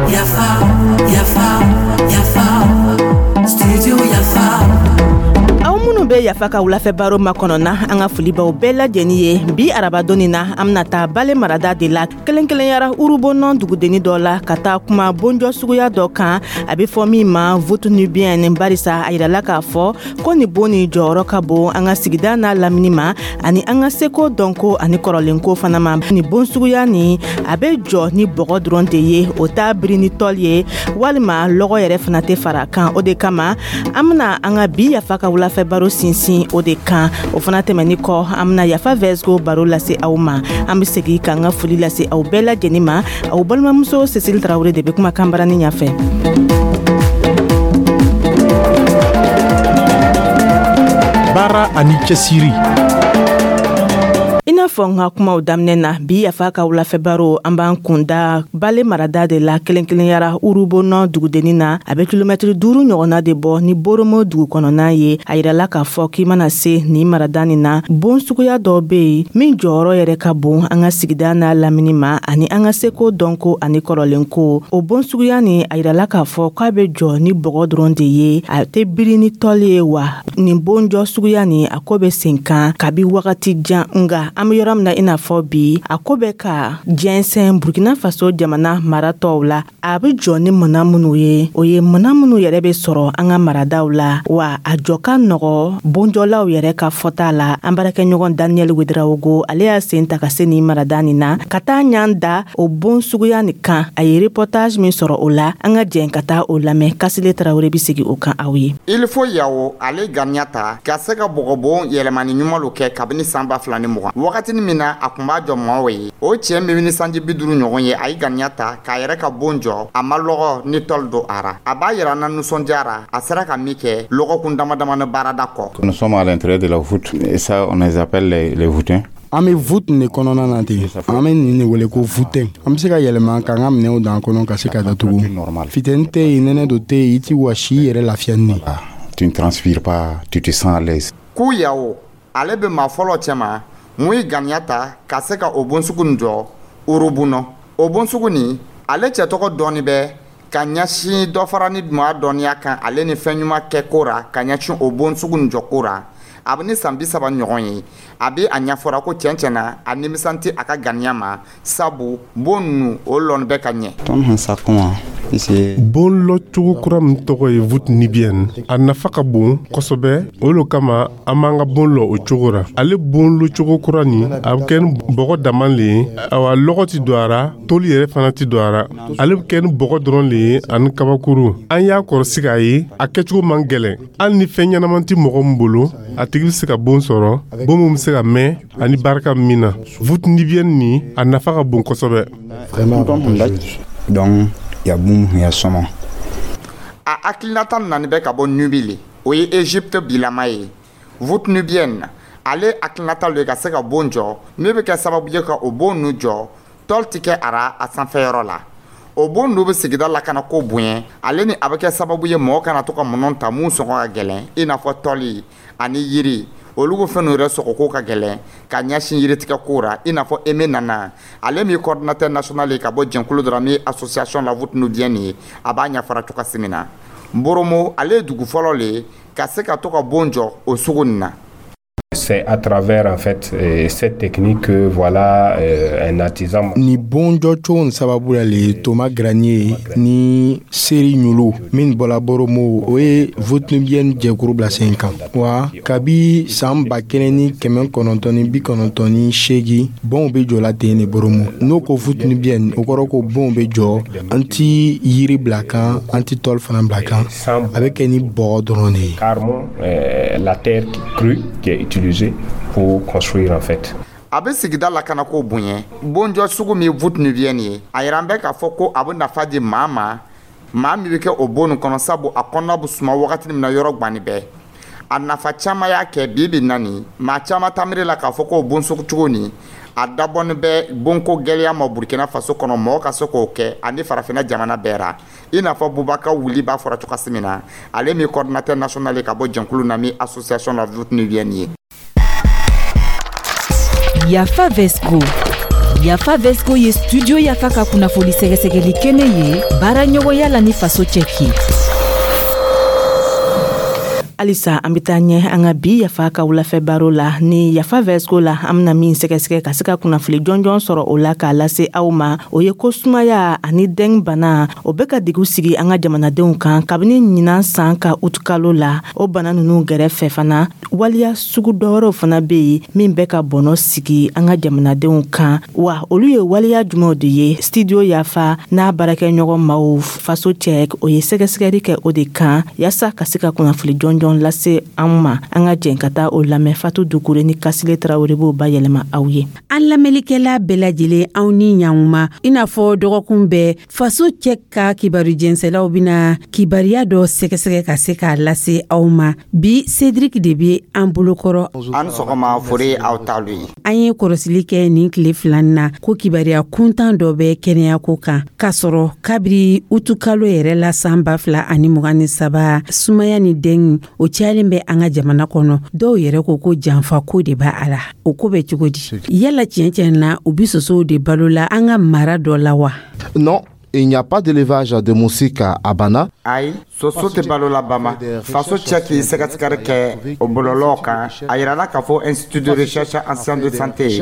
Yafa, Yafa, Yafa, Studio Yafa. Aw minnu bɛ Yafa ka wulafɛ baro makɔnɔna, an ka foli b'aw bɛɛ lajɛlen ye. Bi arabadon na, an bɛna taa Bale marada de la, kɛrɛnkɛrɛnyara Urubonɔ dugudenni dɔ la, ka taa kuma bonjɔ suguya dɔ kan, a bɛ fɔ min ma voûte nubienne, barisa a yirala k'a fɔ ko nin bon nin jɔyɔrɔ ka bon an ka sigida n'a lamini ma, ani an ka seko, dɔnko ani kɔrɔlenko fana ma. Nin bon suguya nin, a bɛ jɔ ni bɔgɔ dɔrɔn de ye, o t'a biri ni tɔli ye walima lɔgɔ yɛrɛ fana tɛ fara kan. O de kama an bɛna an ka bi Yafa ka wulafɛ baro sinsin o de kan. O fana tɛmɛni kɔ, an bɛna Yafa Vɛsgo baro lase aw ma. An bɛ segin k'an ka foli lase aw bɛɛ lajɛlen ma. Aw balimamuso Cécile Tarawele de bɛ kuma kanbarani ɲɛfɛ. Baara ani cɛsiri. I n'a fɔ n ka kumaw daminɛ na, bi Yafa ka wulafɛ baro, an b'an kunda Bale marada de la, kelen kelenyara Urubonɔ dugudenni na. A bɛ kilomɛtiri 5 ɲɔgɔnna de bɔ ni Boromo dugu kɔnɔna ye. A yirala k'a fɔ k'i mana se nin marada nin na, bon suguya dɔ bɛ yen min jɔyɔrɔ yɛrɛ ka bon an ka sigida n'a lamini ma, ani an ka seko, dɔnko ani kɔrɔlenko. O bon suguya nin, a yirala k'a fɔ k'a bɛ jɔ ni bɔgɔ dɔrɔn de ye, a tɛ biri ni tɔli ye. Wa nin bonjɔ suguya nin, a ko bɛ sen kan kabi wagati jan, nga an bɛ yɔrɔ min na i n'a fɔ bi, a ko bɛ ka jɛnsɛn Burkina Faso jamana mara tɔw la. A bɛ jɔ ni mana minnu ye, o ye mana minnu yɛrɛ bɛ sɔrɔ an ka maradaw la, wa a jɔ ka nɔgɔ bonjɔlaw yɛrɛ ka fɔta la. An baarakɛɲɔgɔn Daniel Wederawogo, ale y'a sen ta ka se nin marada nin na, ka taa ɲan da o bon suguya nin kan. A ye reportage min sɔrɔ o la, an ka jɛn ka taa o lamɛn. Kasile Tarawele bɛ segin o kan aw ye. Il faut Yawo, ale ganiya ta ka se ka bɔgɔbon yɛlɛmani ɲuman kɛ kabini san 2020, wagatini min na a kun b'a jɔ mɔgɔw ye. O cɛɛ min ni sanji 50 ɲɔgɔn ye, a ye ganiya ta k'a yɛrɛ ka bon jɔ, a ma lɔgɔ ni tɔli don a ra. A b'a yira na nisɔndiyara a sera ka min kɛ lɔgɔkun dama damani baarada kɔ. Nous sommes à l'intérieur de la voûte et ça, on les appelle les voûtins. An bɛ voûte de kɔnɔna na ten, an bɛ nin de wele ko voûtin. An bɛ se ka yɛlɛma k'an ka minɛnw dan kɔnɔ ka se ka datugu. Funteni tɛ yen, nɛnɛ do tɛ yen, i ti wɔsi, i yɛrɛ lafiya ni. Tu ne transpires pas, tu te sens à l'aise. K'u Yawo, ale bɛ maa fɔlɔ cɛma mun ye ganiya ta ka se ka o bon sugu nin jɔ Urubunɔ. O bon sugu nin, ale cɛ tɔgɔ dɔɔni bɛ ka ɲɛsin dɔ fara ni maa dɔnniya kan, ale ni fɛn ɲuman kɛ ko ra, ka ɲɛsin o bon sugu nin jɔ ko ra. A bɛ ni san 30 ɲɔgɔn ye. A bɛ a ɲɛfɔra ko tiɲɛ tiɲɛ na, a nimisan tɛ a ka ganiya ma, sabu bon ninnu, o lɔn bɛ ka ɲɛ. Bon lɔcogo kura min tɔgɔ ye voûte nubienne, a nafa ka bon kosɛbɛ. O lo kama an b'an ka bon lɔ o cogo ra. Ale bon lɔcogo kura nin, a bɛ kɛ ni bɔgɔ dama le ye. Awa, lɔgɔ ti don a ra, toli yɛrɛ fana ti don a ra. Ale bɛ kɛ ni bɔgɔ dɔrɔn le ye ani kabakuru. An y'a kɔrɔsi k'a ye a kɛcogo man gɛlɛn. Hali ni fɛn ɲɛnaman tɛ mɔgɔ min bolo, a tigi bɛ se ka bon sɔrɔ, bon min bɛ se ka mɛn ani barika min na. Voûte nubienne nin, a nafa ka bon kosɛbɛ. Donc ya bum ya sɔmɔ. A hakilinata nani bɛ ka bɔ Nubi le, o ye Egypte bilama ye. Voûte nubienne, ale hakilinata lo ye ka se ka bon jɔ min bɛ kɛ sababu ye ka o bon nu jɔ, tɔli tɛ kɛ a ra a sanfɛyɔrɔ la. O bon nu bɛ sigida lakana ko bonya, ale ni a bɛ kɛ sababu ye mɔgɔ kana to ka minɛnw ta mun sɔngɔ ka gɛlɛn, i n'a fɔ tɔli ani yiri. Olu ko fɛn yɛrɛ sɔgɔko ka gɛlɛn ka ɲɛsin yiritigɛ ko ra. I n'a fɔ Eme Nana, ale min coordinateur national ye ka bɔ jɛnkulu dɔ la min ye association la voûte nubienne ye, a b'a ɲɛfɔra cogoya min na. Boromo, ale ye dugu fɔlɔ le ye ka se ka to ka bon jɔ o sugu nin na. C'est à travers en fait cette technique que voilà un artisan. Ni bon jɔcogo nin sababu la le, Thomas Granier ni Seri Ɲulu min bɔla Boromo, o ye voûte nubienne jɛkuru bila sen kan. Wa kabi san 1998, bonw bɛ jɔla ten de Boromo. N'o ko voûte nubienne, o kɔrɔ ko bonw bɛ jɔ, an ti yiri bila kan, an ti tɔli fana bila kan, a bɛ kɛ ni bɔgɔ dɔrɔn de ye. Carrément la terre crue qui est utilisée pour construire en fait. A bɛ sigida lakanako bonya. Bonjɔ sugu min voûte nubienne ye, a yira an bɛ k'a fɔ ko a bɛ nafa di maa ma, maa min bɛ kɛ o bon nin kɔnɔ, sabu a kɔnɔna bɛ suma wagati min na yɔrɔ gbani bɛɛ. A nafa caman y'a kɛ bi bi na nin, maa caman tamiri la k'a fɔ ko o bon sugu cogo nin, a dabɔni bɛ bonko gɛlɛya ma Burkina Faso kɔnɔ, mɔgɔ ka se k'o kɛ ani farafinna jamana bɛɛ ra. I n'a fɔ Bubaka Wuli b'a fɔra cogoya min na, ale min coordinateur national ye ka bɔ jɛnkulu na min association la voûte nubienne ye. Yafa Vesco. Yafa Vesco ye Studio Yafa ka kunnafoni sɛgɛsɛgɛli kɛnɛ ye baara ɲɔgɔnya la ni Faso Cɛki. Halisa an bɛ taa ɲɛ an ka bi Yafa ka wulafɛ baro la ni Yafa Vesco la. An bɛna min sɛgɛsɛgɛ ka se ka kunnafoni jɔnjɔn sɔrɔ o la k'a lase aw ma, o ye ko sumaya ani dengue bana, o bɛ ka degun sigi an ka jamanadenw kan kabini ɲinan san ka utukalo la. O bana ninnu gɛrɛfɛ fana, waliya sugu dɔwɛrɛw fana bɛ yen min bɛ ka bɔnɔ sigi an ka jamanadenw kan. Wa olu ye waleya jumɛnw de ye? Studio Yafa n'a baarakɛɲɔgɔn maaw Faso Cɛ, o ye sɛgɛsɛgɛli kɛ o de kan yaasa ka se ka kunnafoni jɔnjɔn lase an ma. An ka jɛn ka taa o lamɛn. Fatu Dukure ni Kasile Tarawele b'o bayɛlɛma aw ye. An lamɛnlikɛla bɛɛ lajɛlen, aw ni ɲankuma. I n'a fɔ dɔgɔkun bɛɛ, Faso Cɛ ka kibaru jɛnsɛlaw bɛna kibaruya dɔ sɛgɛsɛgɛ ka se k'a lase aw ma. Bi, Cédric de bɛ an bolokɔrɔ. An sɔgɔma, fori aw talu ye. An ye kɔrɔsili kɛ nin tile 2 na ko kibaruya kuntan dɔ bɛ kɛnɛyako kan, k'a sɔrɔ kabiri utukalo yɛrɛ la san 2023, sumaya ni dengue, o cayalen bɛ an ka jamana kɔnɔ. Dɔw yɛrɛ ko ko janfa ko de b'a a la. O ko bɛ cogo di? Yala tiɲɛ tiɲɛ na, u bi sosow de balo la an ka mara dɔ la wa? Non, il n'y a pas d'élevage de moustiques à Bana. Ayi, soso tɛ balo la Bama. Faso Cɛ k'i sɛgɛsɛgɛli kɛ o bɔlɔlɔw kan, a yirala k'a fɔ Institut de recherche en sciences de santé,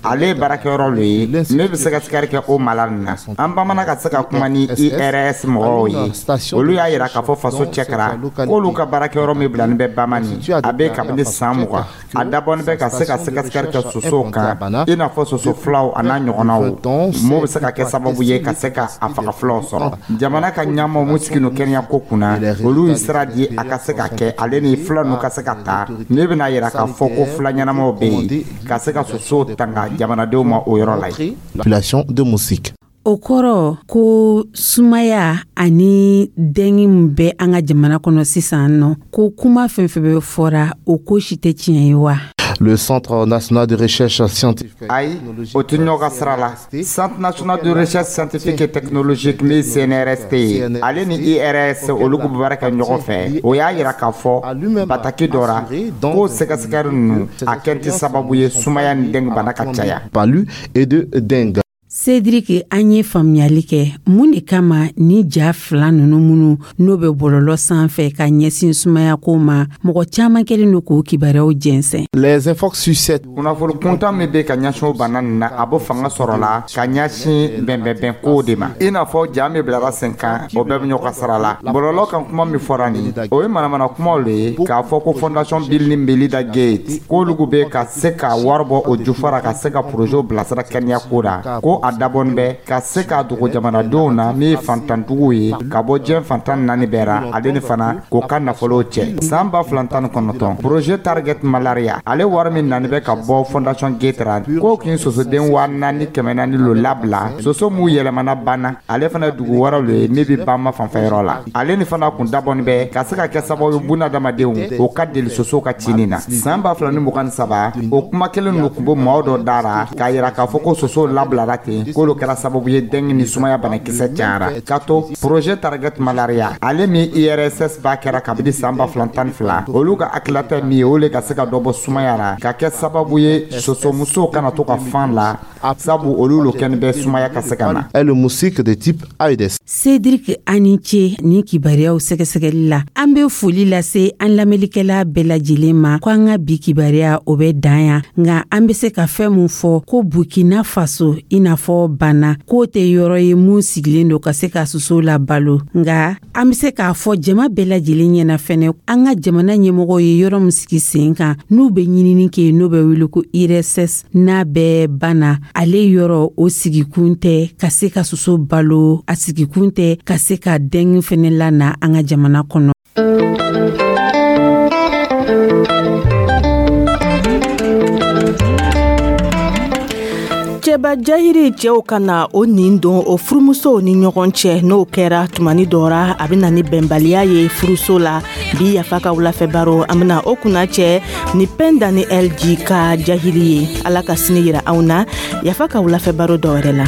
ale ye baarakɛyɔrɔ lo ye ne bɛ sɛgɛsɛgɛli kɛ o mala nin na. An bamana ka se ka kuma ni IRS mɔgɔw ye, olu y'a yira k'a fɔ Faso Cɛ kɛra k'olu ka baarakɛyɔrɔ min bilani bɛ Bamani, a bɛ kabini san 20, a dabɔni bɛ ka se ka sɛgɛsɛgɛli kɛ sosow kan, i n'a fɔ soso filaw a n'a ɲɔgɔnnaw m'o bɛ se ka kɛ sababu ye ka se ka a faga filaw sɔrɔ. Jamana ka ɲɛmaaw mun sigi no kɛnɛya ko kunna, olu ye sira di a ka se ka kɛ, ale ni fila ninnu ka se ka ta. Ne bɛna yira k'a fɔ ko fila ɲɛnamaw bɛ yen ka se ka sosow tanga jamanadenw ma o yɔrɔ la yen. Population de moustiques. O kɔrɔ ko sumaya ani dengue min bɛ an ka jamana kɔnɔ sisan nɔ, ko kuma fɛn fɛn bɛ fɔra, o ko si tɛ tiɲɛ ye wa? Le Centre national de recherche scientifique. Ayi, o tɛ ɲɔgɔn ka sira la. Centre national de recherche scientifique et technologique min CNRST ye, ale ni IRS, olu bɛ baara kɛ ɲɔgɔn fɛ. O y'a yira k'a fɔ bataki dɔ ra k'o sɛgɛsɛgɛli ninnu, a kɛ tɛ sababu ye sumaya ni dengue bana ka caya. Palu et de dengue. Cédric, an ye faamuyali kɛ. Mun de kama ni ja fila ninnu minnu n'o bɛ bɔlɔlɔ sanfɛ ka ɲɛsin sumaya ko ma, mɔgɔ caman kɛlen don k'o kibaruyaw jɛnsɛn? Les infos sur cette Kunnafoni kuntan min bɛ ka ɲɛsin o bana nin na, a bɛ fanga sɔrɔ la ka ɲɛsin bɛnbɛnbɛn kow de ma, i n'a fɔ ja min bilara sen kan, o bɛɛ bɛ ɲɔgɔn sara la. Bɔlɔlɔ kan, kuma min fɔra nin, o ye manamana kumaw le ye k'a fɔ ko Fondation Bill ni Melinda Gates, k'olu bɛ ka se ka wari bɔ o jufara ka se ka projet bilasira kɛnɛya ko la, ko a dabɔni bɛ ka se k'a dogo jamanadenw na min ye fantanduguw ye ka bɔ diɲɛ fantan naani bɛɛ ra, ale ni fana k'o ka nafolo cɛ. San 2019, projet Target Malaria, ale wari min nani bɛ ka bɔ Fondation Gates ra, k'o kin sosoden 4400 lo labila, soso m'u yɛlɛmana banna, ale fana ye dugu wɛrɛw le ye min bɛ Bama fanfɛyɔrɔ la. Ale ni fana kun dabɔni bɛ ka se ka kɛ sababu ye bunadamadenw o ka deli sosow ka cini na. San 2023, o kuma kelen ninnu kun bɛ maaw dɔ da ra k'a yira k'a fɔ ko sosow labilara ten, k'olu kɛra sababu ye dengue ni sumaya banakisɛ cayara. Ka to projet Target Malaria, ale min IRSS b'a kɛra kabini san 2012, olu ka hakilata min ye, o le ka se ka dɔ bɔ sumaya la, ka kɛ sababu ye sosomusow kana to ka fan la, sabu olu lo kɛni bɛ sumaya ka se ka na. Est le moustique de type Aedes. Cédric, ani ce ni kibaruyaw sɛgɛsɛgɛli la. An be foli lase an lamɛnlikɛla bɛɛ lajɛlen ma ko an ka bi kibaruya, o bɛ dan yan. Nka an be se ka fɛn mun fɔ ko Burkina Faso, i n'a fɔ Bana, k'o tɛ yɔrɔ ye mun sigilen don ka se ka sosow la balo. Nka an be se k'a fɔ jama bɛɛ lajɛlen ɲɛna fɛnɛ, an ka jamana ɲɛmɔgɔw ye yɔrɔ min sigi sen kan n'u bɛ ɲinini kɛ, n'o bɛ wele ko IRSS, n'a bɛ Bana, ale yɔrɔ o sigikun tɛ ka se ka soso balo, a sigikun tɛ ka se ka dengue fɛnɛ lana an ka jamana kɔnɔ. Cɛba jahiri, cɛw ka na o nin don o furumusow ni ɲɔgɔn cɛ, n'o kɛra tumani dɔra, a bɛ na ni bɛnbaliya ye furuso la. Bi Yafa ka wulafɛ baro, an bena o kunna cɛ ni Pɛnda ni LG ka jahili ye. Ala ka sini yira anw na Yafa ka wulafɛ baro dɔ wɛrɛ la.